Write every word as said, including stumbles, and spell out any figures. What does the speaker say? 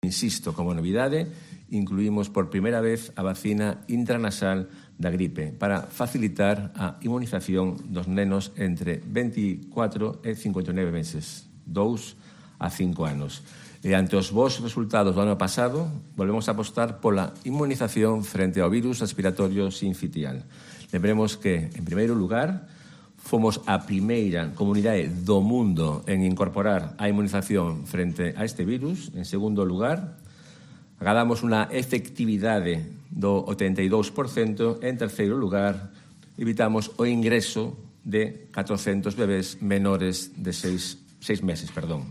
Insisto, como novidade, incluímos por primeira vez a vacina intranasal da gripe para facilitar a inmunización dos nenos entre veinticuatro e cincuenta e nove meses, dous a cinco anos. E ante os bons resultados do ano pasado, volvemos a apostar pola inmunización frente ao virus respiratorio sincitial. Lembremos que, en primeiro lugar, fomos a primeira comunidade do mundo en incorporar a inmunización frente a este virus. En segundo lugar, agardamos unha efectividade do ochenta e dous por cento. En terceiro lugar, evitamos o ingreso de catrocentos bebés menores de seis, seis meses. Perdón.